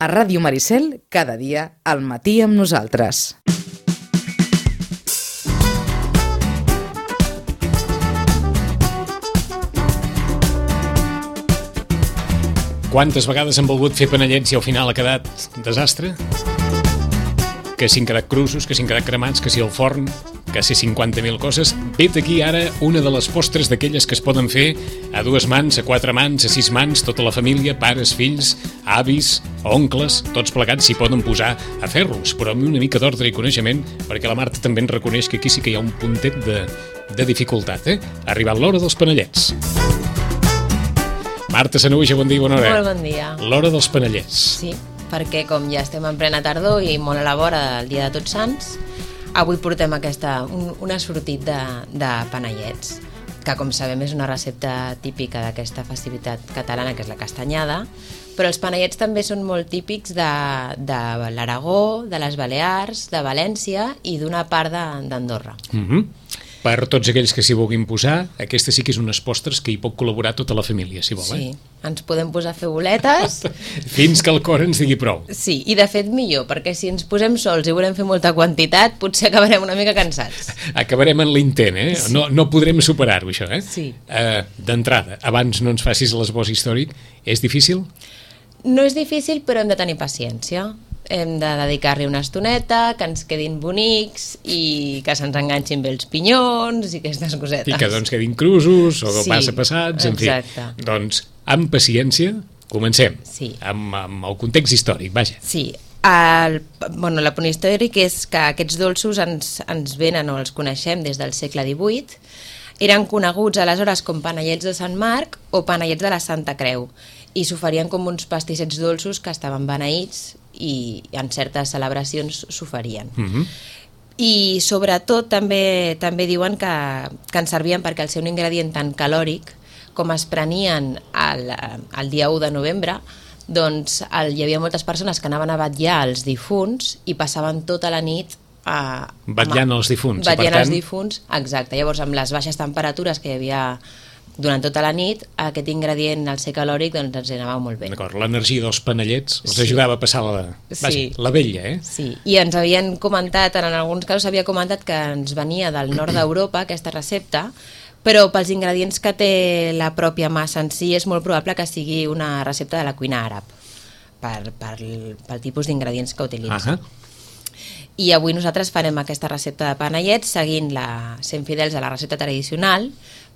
A Ràdio Maricel, cada dia, al matí amb nosaltres. Quantes vegades han volgut fer panellets i al final ha quedat desastre? Que si han quedat cruços, que si han quedat cremats, que si al forn, que si 50.000 coses. Vet aquí ara una de les postres d'aquelles que es poden fer a 2 mans, a 4 mans, a 6 mans, tota la família, pares, fills, avis, oncles, tots plegats s'hi poden posar a fer-los, però amb una mica d'ordre i coneixement, perquè la Marta també en reconeix que aquí sí que hi ha un puntet de dificultat, Ha arribat l'hora dels panellets. Marta Sanahuja, bon dia, bona hora. Molt bon dia. L'hora dels panellets. Sí, perquè com ja estem en plena tardor i molt a la vora del dia de Tots Sants, avui portem un assortit de panellets, que com sabem és una recepta típica d'aquesta festivitat catalana, que és la castanyada, però els panellets també són molt típics de l'Aragó, de les Balears, de València i d'una part d'Andorra. Per tots aquells que s'hi vulguin posar, aquesta sí que és unes postres que hi pot col·laborar tota la família, si vol, Sí, ens podem posar a fer boletes. Fins que el cor ens digui prou. Sí, i de fet millor, perquè si ens posem sols i volem fer molta quantitat, potser acabarem una mica cansats. Acabarem en l'intent, Sí. No podrem superar-ho, això, Sí. D'entrada, abans no ens facis l'esbós històric, és difícil? No és difícil, però hem de tenir paciència. Hem de dedicar-li una estoneta, que ens quedin bonics i que se'ns enganxin bé els pinyons i aquestes cosetes. I que doncs quedin cruços o Sí, passa passats, en exacte. fi. Doncs, amb paciència, comencem. Sí. Amb el context històric, vaja. Sí, el punt històric és que aquests dolços ens venen o els coneixem des del segle XVIII. Eren coneguts aleshores com panellets de Sant Marc o panellets de la Santa Creu i s'oferien com uns pastissets dolços que estaven beneïts i en certes celebracions s'oferien. I sobretot també diuen que en servien perquè al ser un ingredient tan calòric, com es prenien el dia 1 de novembre, doncs hi havia moltes persones que anaven a vetllar els difunts i passaven tota la nit vetllant els difunts. Vetllant els difunts, exacte. Llavors, amb les baixes temperatures que hi havia durant tota la nit, aquest ingredient, el ser calòric, doncs ens anava molt bé. D'acord, l'energia dels panellets els ajudava a passar la vella, Sí, i ens havien comentat, en alguns casos s'havia comentat que ens venia del nord d'Europa, aquesta recepta, però pels ingredients que té la pròpia massa en si és molt probable que sigui una recepta de la cuina àrab, pel tipus d'ingredients que utilitza. I avui nosaltres farem aquesta recepta de panellets sent fidels a la recepta tradicional,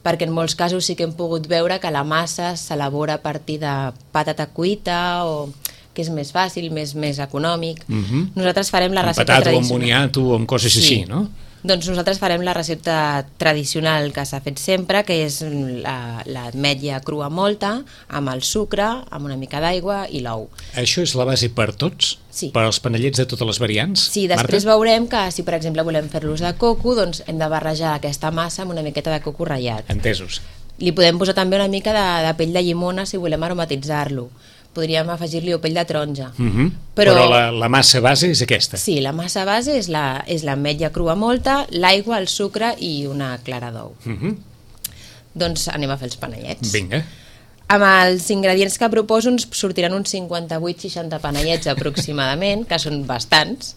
perquè en molts casos sí que hem pogut veure que la massa s'elabora a partir de patata cuita o que és més fàcil, més econòmic. Nosaltres farem la recepta tradicional. tradicional. Amb boniato o amb coses així, no? Doncs nosaltres farem la recepta tradicional que s'ha fet sempre, que és l'ametlla crua molta, amb el sucre, amb una mica d'aigua i l'ou. Això és la base per tots? Sí. Per als panellets de totes les variants? Sí, després veurem que si, per exemple, volem fer-los de coco, doncs hem de barrejar aquesta massa amb una miqueta de coco ratllat. Entesos. Li podem posar també una mica de pell de llimona si volem aromatitzar-lo. Podríem afegir-li pell de taronja. Però la massa base és aquesta? Sí, la massa base és l'ametlla crua molta, l'aigua, el sucre i una clara d'ou. Doncs anem a fer els panellets. Vinga. Amb els ingredients que proposo ens sortiran uns 58-60 panellets aproximadament, que són bastants,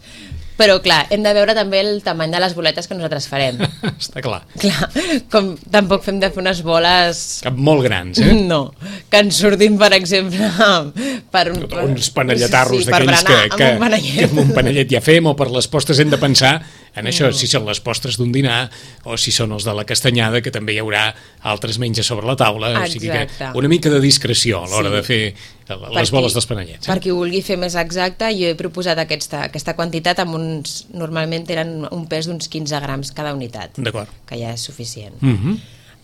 però clar, hem de veure també el tamany de les boletes que nosaltres farem. Està clar. Clar, com tampoc fem de fer unes boles... Molt grans, No, que ens surtin, per exemple, uns panelletarros per d'aquells que amb un panellet ja fem, o per les postres hem de pensar en això, si són les postres d'un dinar o si són els de la castanyada, que també hi haurà altres menges sobre la taula. O sigui que una mica de discreció a l'hora de fer les boles dels panellets. Per qui ho vulgui fer més exacte, jo he proposat aquesta quantitat amb normalment eren un pes d'uns 15 grams cada unitat, que ja és suficient.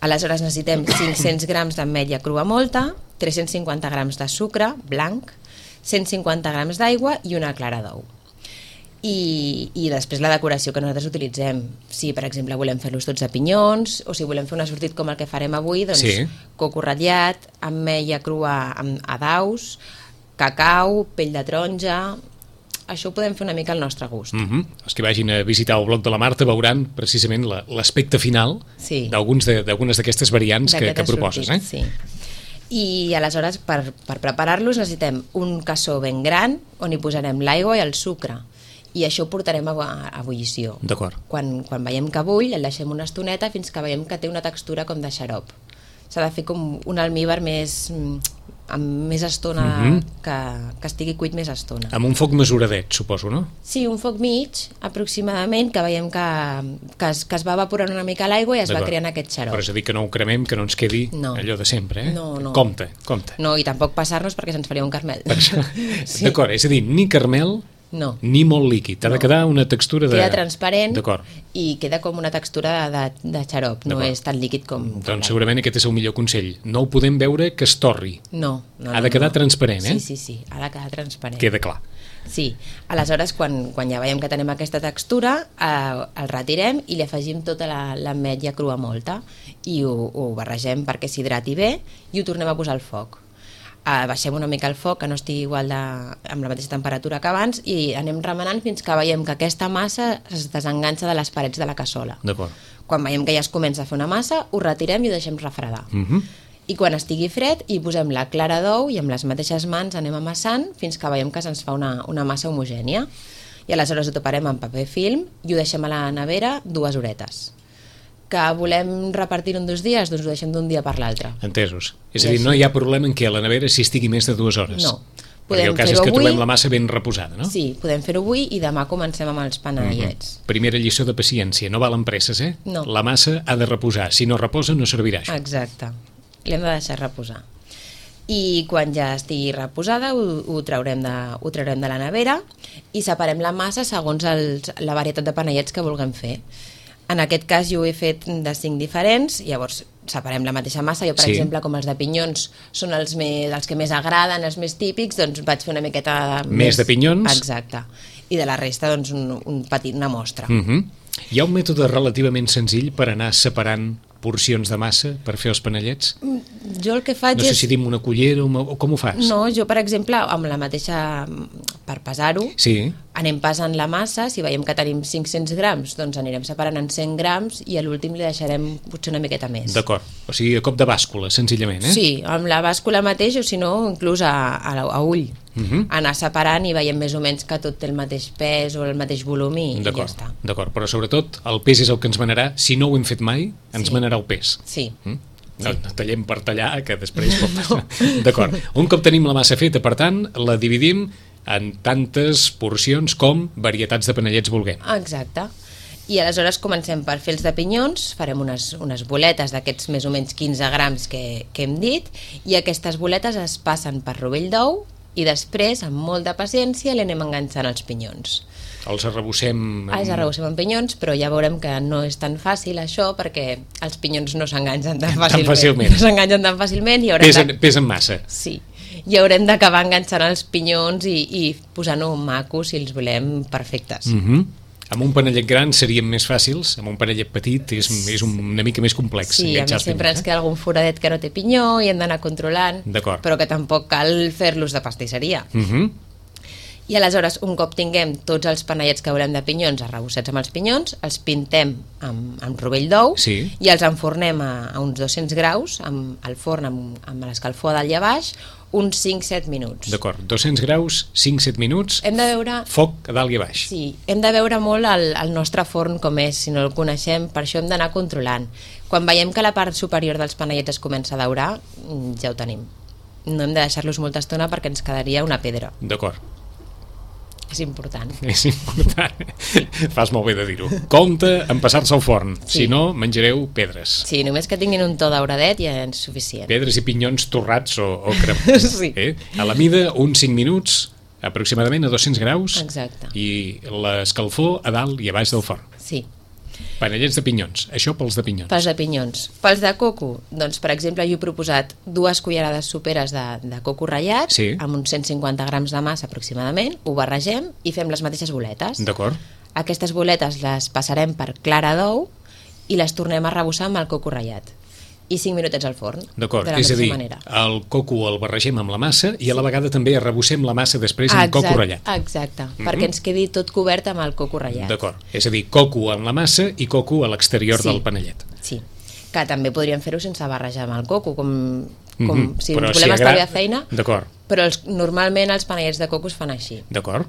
Aleshores necessitem 500 grams d'ametlla crua molta, 350 grams de sucre blanc, 150 grams d'aigua i una clara d'ou. I després la decoració que nosaltres utilitzem. Si, per exemple, volem fer-los tots a pinyons, o si volem fer un assortit com el que farem avui, doncs coco ratllat, ametlla crua a daus, cacau, pell de taronja... Això ho podem fer una mica al nostre gust. Els que vagin a visitar el blog de la Marta veuran precisament l'aspecte final d'algunes d'aquestes variants que proposes. Sí. I aleshores per preparar-los necessitem un cassó ben gran on hi posarem l'aigua i el sucre i això ho portarem a ebullició. D'acord. Quan veiem que bull el deixem una estoneta fins que veiem que té una textura com de xarop. S'ha de fer com un almíbar amb més estona, que estigui cuit més estona. Amb un foc mesuradet, suposo, no? Sí, un foc mig, aproximadament, que veiem que es va evaporant una mica l'aigua i es va creant aquest xarop. Però és a dir, que no ho cremem, que no ens quedi allò de sempre, eh? No. Compte. No, i tampoc passar-nos perquè se'ns faria un carmel. Sí. D'acord, és a dir, ni carmel ni molt líquid. Ha de quedar una textura de... Queda transparent i queda com una textura de xarop, no és tan líquid com... Doncs segurament aquest és el millor consell. No ho podem veure que es torri. No. Ha de quedar transparent, eh? Sí, ha de quedar transparent. Queda clar. Sí, aleshores quan ja veiem que tenim aquesta textura el retirem i li afegim tota l'ametlla crua molta i ho barregem perquè s'hidrati bé i ho tornem a posar al foc. Baixem una mica el foc, que no estigui igual amb la mateixa temperatura que abans i anem remenant fins que veiem que aquesta massa es desenganxa de les parets de la cassola. D'acord. Quan veiem que ja es comença a fer una massa, ho retirem i ho deixem refredar. I quan estigui fred hi posem la clara d'ou i amb les mateixes mans anem amassant fins que veiem que se'ns fa una massa homogènia. I aleshores ho taparem amb paper film i ho deixem a la nevera 2 horetes. Que volem repartir en 2 dies, doncs ho deixem d'un dia per l'altre. Entesos. És a dir, no hi ha problema en què la nevera s'hi estigui més de 2 hores. No. Perquè el cas és que trobem la massa ben reposada, no? Sí, podem fer-ho avui i demà comencem amb els panellets. Primera lliçó de paciència, no valen presses, eh? No. La massa ha de reposar, si no reposa no servirà això. Exacte, l'hem de deixar reposar. I quan ja estigui reposada ho traurem de la nevera i separem la massa segons la varietat de panellets que vulguem fer. En aquest cas jo ho he fet de 5 diferents, llavors separem la mateixa massa. Jo, per exemple, com els de pinyons són els que més agraden, els més típics, doncs vaig fer una miqueta més de pinyons. Exacte. I de la resta, doncs, una mostra. Hi ha un mètode relativament senzill per anar separant porcions de massa per fer els panellets? Jo el que faig no sé si dim una cullera o com ho fas? No, jo per exemple amb la mateixa, per pesar-ho, anem pesant la massa, si veiem que tenim 500 grams doncs anirem separant en 100 grams i a l'últim li deixarem potser una miqueta més. D'acord, o sigui a cop de bàscula senzillament, eh? Sí, amb la bàscula mateix o si no inclús a ull. Anar separant i veiem més o menys que tot té el mateix pes o el mateix volum i ja està. D'acord, però sobretot el pes és el que ens manarà, si no ho hem fet mai, ens manarà el pes. Sí. No tallem per tallar, que després pot passar. D'acord, un cop tenim la massa feta, per tant, la dividim en tantes porcions com varietats de panellets vulguem. Exacte. I aleshores comencem per fer els de pinyons, farem unes boletes d'aquests més o menys 15 grams que hem dit i aquestes boletes es passen per rovell d'ou i després, amb molt de paciència, li anem enganxant els pinyons. Els arrebossem... Els arrebossem amb pinyons, però ja veurem que no és tan fàcil això perquè els pinyons no s'enganxen tan fàcilment. No s'enganxen tan fàcilment i haurem pesen massa. Sí, i haurem d'acabar enganxant els pinyons i posant-ho macos si els volem perfectes. Amb un panellet gran serien més fàcils, amb un panellet petit és una mica més complex. Sí, a més sempre ens queda algun foradet que no té pinyó i hem d'anar controlant, però que tampoc cal fer-los de pastisseria. I aleshores, un cop tinguem tots els panellets que volem de pinyons arrebossats amb els pinyons, els pintem amb rovell d'ou i els enfornem a uns 200 graus al forn amb l'escalfor a dalt i a baix uns 5-7 minuts. D'acord, 200 graus, 5-7 minuts, foc a dalt i a baix. Sí, hem de veure molt el nostre forn com és, si no el coneixem, per això hem d'anar controlant. Quan veiem que la part superior dels panellets es comença a daurar, ja ho tenim. No hem de deixar-los molta estona perquè ens quedaria una pedra. D'acord. És important. És important. Fas molt bé de dir-ho. Compte en passar-se al forn, si no menjareu pedres. Sí, només que tinguin un to dauradet ja és suficient. Pedres i pinyons torrats o cremats. Sí. A la mida, uns 5 minuts, aproximadament a 200 graus. Exacte. I l'escalfor a dalt i a baix del forn. Sí. Panellets de pinyons, això pels de pinyons. Pels de pinyons. Pels de coco, doncs per exemple jo he proposat 2 cullerades soperes de coco ratllat amb uns 150 grams de massa aproximadament, ho barregem i fem les mateixes boletes. D'acord. Aquestes boletes les passarem per clara d'ou i les tornem a arrebossar amb el coco ratllat i 5 minutets al forn. D'acord, és a dir, el coco el barregem amb la massa i a la vegada també arrebossem la massa després amb coco ratllat. Exacte, perquè ens quedi tot cobert amb el coco ratllat. D'acord, és a dir, coco amb la massa i coco a l'exterior del panellet. Sí, que també podríem fer-ho sense barrejar amb el coco, com si ens volem estalviar feina, d'acord. Però normalment els panellets de coco es fan així. D'acord.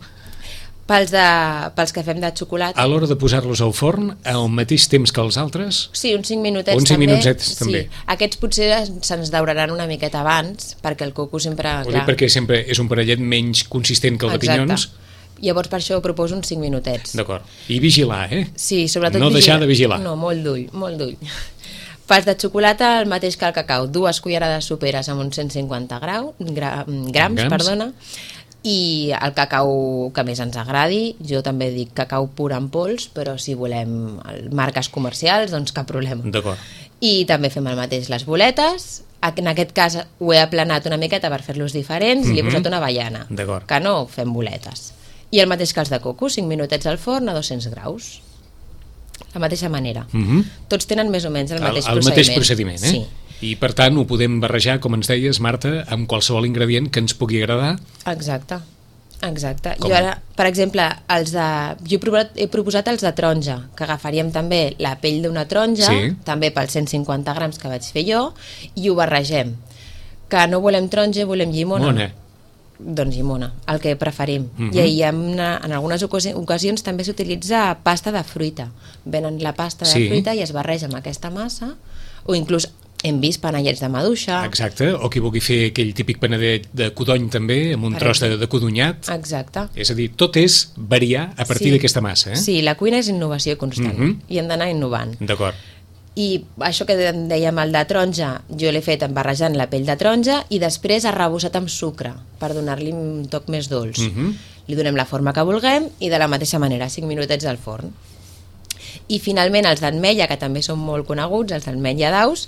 Pels que fem de xocolata... A l'hora de posar-los al forn, al mateix temps que els altres? Sí, uns 5 minutets uns 5 també. Minutets, també. Sí. Aquests potser se'ns dauraran una miqueta abans, perquè el coco sempre... Perquè sempre és un panellet menys consistent que el de pinyons. Llavors per això proposo uns 5 minutets. D'acord. I vigilar, Sí, sobretot no deixar de vigilar. No, molt d'ull, molt d'ull. Pels de xocolata, el mateix que el cacau. 2 cullerades soperes amb uns 150 grams, perdona, i el cacau que més ens agradi. Jo també dic cacau pur en pols, però si volem marques comercials, doncs cap problema. D'acord. I també fem el mateix les boletes. En aquest cas ho he aplanat una miqueta per fer-los diferents i li he posat una avellana, que no fem boletes. I el mateix que els de coco, 5 minutets al forn a 200 graus. La mateixa manera. Tots tenen més o menys el mateix procediment. El mateix procediment, Sí. I per tant ho podem barrejar, com ens deies, Marta, amb qualsevol ingredient que ens pugui agradar. Exacte. Jo ara, per exemple, jo he proposat els de taronja, que agafaríem també la pell d'una taronja, també pels 150 grams que vaig fer jo, i ho barregem. Que no volem taronja, volem llimona. Doncs llimona, el que preferim. I en algunes ocasions també s'utilitza pasta de fruita. Venen la pasta de fruita i es barreja amb aquesta massa, o inclús hem vist panellets de maduixa. Exacte, o qui vulgui fer aquell típic panedet de codony també, amb un tros de codonyat. Exacte. És a dir, tot és variar a partir d'aquesta massa. Sí, la cuina és innovació constant i hem d'anar innovant. D'acord. I això que dèiem, el de taronja, jo l'he fet barrejant la pell de taronja i després arrebossat amb sucre per donar-li un toc més dolç. Li donem la forma que vulguem i de la mateixa manera, 5 minutets al forn. I finalment els d'ametlla, que també són molt coneguts, els d'ametlla d'aus,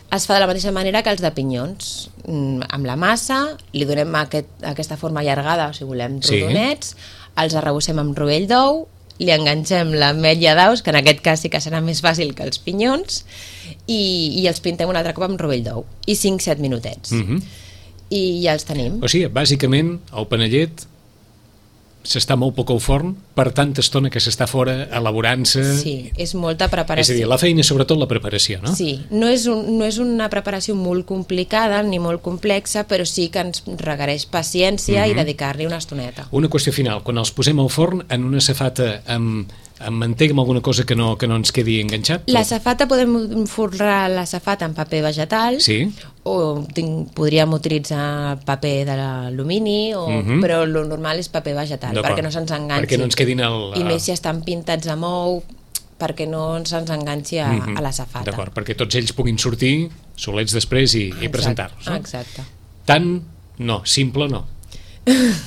es fa de la mateixa manera que els de pinyons. Amb la massa, li donem aquesta forma allargada, o si volem rodonets, els arrebossem amb rovell d'ou, li enganxem l'ametlla d'aus, que en aquest cas sí que serà més fàcil que els pinyons, i els pintem un altre cop amb rovell d'ou. I 5-7 minutets. I ja els tenim. O sigui, bàsicament, el panellet s'està molt poc al forn per tanta estona que s'està fora elaborant-se. Sí, és molta preparació. És a dir, la feina és sobretot la preparació, no? Sí, no és una preparació molt complicada ni molt complexa, però sí que ens requereix paciència i dedicar-li una estoneta. Una qüestió final, quan els posem al forn en una safata amb mantega, amb alguna cosa que no ens quedi enganxat? La safata, podem forrar la safata en paper vegetal, o podríem utilitzar paper d'alumini, però el normal és paper vegetal, perquè no se'ns enganxi. Perquè no ens quedin I més si estan pintats amb ou, perquè no se'ns enganxi a la safata. D'acord, perquè tots ells puguin sortir solets després i presentar-los. Exacte. Tant no, simple no.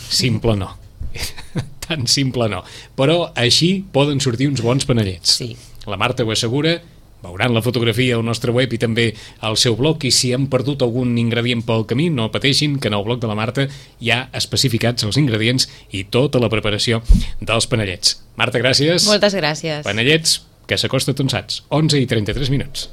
Simple no. Tan simple no. Però així poden sortir uns bons panellets. Sí. La Marta ho assegura, veuran la fotografia al nostre web i també al seu blog, i si han perdut algun ingredient pel camí, no pateixin, que en el blog de la Marta hi ha especificats els ingredients i tota la preparació dels panellets. Marta, gràcies. Moltes gràcies. Panellets que s'acosta, tu en saps, 11:33.